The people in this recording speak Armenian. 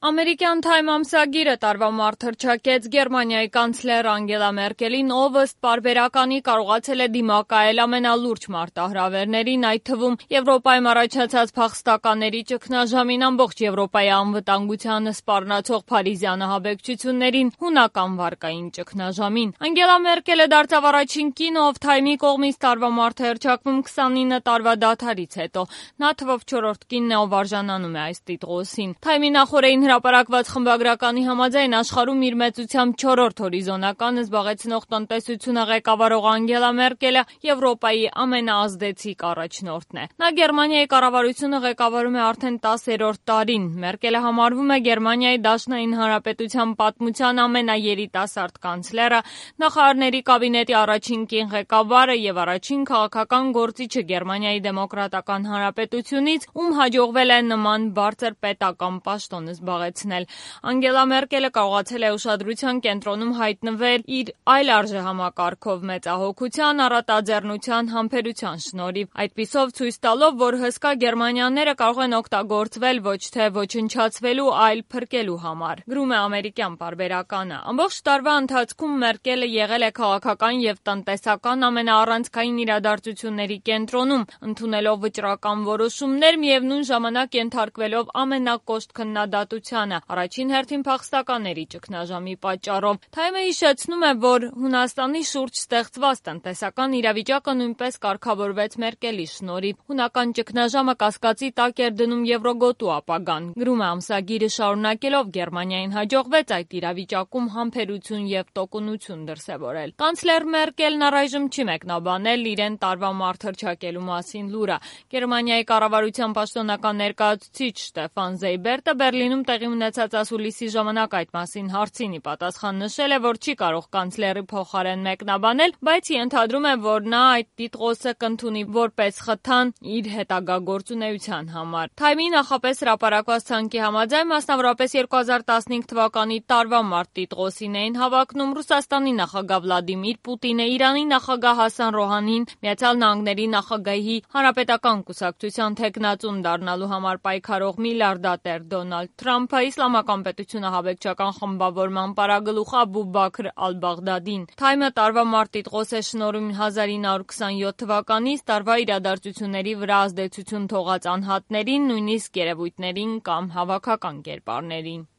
Ամերիկյան Time ամսագիրը տարվա մարտ հռչակեց Գերմանիայի կանցլեր Անգելա Մերկելին, ով ըստ պարբերականի կարողացել է դիմակայել ամենալուրջ մարտահրավերներին, այդ թվում Եվրոպայում առաջացած փախստականների ճգնաժամին, ամբողջ Եվրոպայի անվտանգությանը սպառնացող Փարիզյան ահաբեկչություններին, հունական վարկային ճգնաժամին։ Անգելա Մերկելը դարձավ առաջին կինը, ով Time-ի կողմից տարվա մարտ է հռչակվում 29 տարվա դադարից հետո։ Նա թվով 4-րդ կինն է, ով արժանանում է այս տիտղոսին։ Time-ի նախօրեին հրապարակված խմբագրականի համաձայն աշխարհում իր մեծությամբ 4-րդ հորիզոնականը զբաղեցնող տնտեսությունը ղեկավարող Անգելա Մերկելը Եվրոպայի ամենաազդեցիկ առաջնորդն է։ Նա Գերմանիայի կառավարությունը ղեկավարում է արդեն 10-րդ տարին։ Մերկելը համարվում է Գերմանիայի Դաշնային Հանրապետության պատմության ամենաերիտասարդ կանցլերը, նախարարների կաբինետի առաջին կին ղեկավարը եւ առաջին քաղաքական գործիչը Գերմանիայի Դեմոկրատական Հանրապետությունից, ում հաջողվել է նման բարձր պետական պաշտոն զբաղեցնել։ Անգելա Մերկելը կարողացել է ուշադրության կենտրոնում հայտնվել իր այլ արժեհամակարգով, մեծահոգության, առատաձեռնության, համբերության շնորհիվ, այդպիսով ցույց տալով, որ հսկա գերմանյաները կարող են օգտագործվել ոչ թե ոչնչացվելու, այլ փրկելու համար։ Գրում է ամերիկյան պարբերականը։ Ամբողջ տարվա ընթացքում Մերկելը եղել է քաղաքական եւ տնտեսական ամենաառանցքային իրադարձությունների կենտրոնում, ընդունելով վճռական որոշումներ, միևնույն ժամանակ ենթարկվելով ամենակոշտ քննադատությանը, առաջին հերթին փախստականների ճգնաժամի պատճառով։ Time-ը հիշեցնում է, որ Հունաստանի շուրջ ստեղծված տնտեսական իրավիճակը նույնպես կարգավորվեց Մերկելի շնորհիվ։ Հունական ճգնաժամը կասկածի տակ էր դնում եվրոգոտու ապագան։ Գրում է ամսագիրը, շարունակելով, Գերմանիային հաջողվեց այդ իրավիճակում համբերություն եւ տոկունություն դրսեւորել։ Կանցլեր Մերկելն առայժմ չի մեկնաբանել իրեն տարվա մարտ հռչակելու մասին լուրը։ Գերմանիայի կառավարության պաշտոնական ներկայացուցիչ Ստեֆան Զեյբերտը Բերլինում տեղի ունեցած ասուլիսի ժամանակ այդ մասին հարցին ի պատասխան նշել է, որ չի կարող կանցլերի փոխարեն մեկնաբանել, բայց ենթադրում է, որ նա այդ տիտղոսը կընդունի որպես խթան իր հետագա գործունեության համար։ Time-ի նախապես հրապարակված ցանկի համաձայն, մասնավորապես 2015 թվականի տարվա մարտ տիտղոսին էին հավակնում Ռուսաստանի նախագահ Վլադիմիր Պուտինը, Իրանի նախագահ Հասան Ռոհանին, Միացյալ Նահանգների նախագահի Հանրապետական կուսակցության թեկնածուն դառնալու համար պայքարող միլիարդատեր Դոնալդ Թրամփը, Իսլամական պետություն ահաբեկչական խմբավորման պարագլուխ Աբու Բաքր Ալ-Բաղդադին։ Time-ը տարվա մարտ տիտղոս է շնորհում 1927 թվականից տարվա իրադարձությունների վրա ազդեցություն թողած անհատներին, նույնիսկ երևույթներին կամ հավաքական կերպարներին։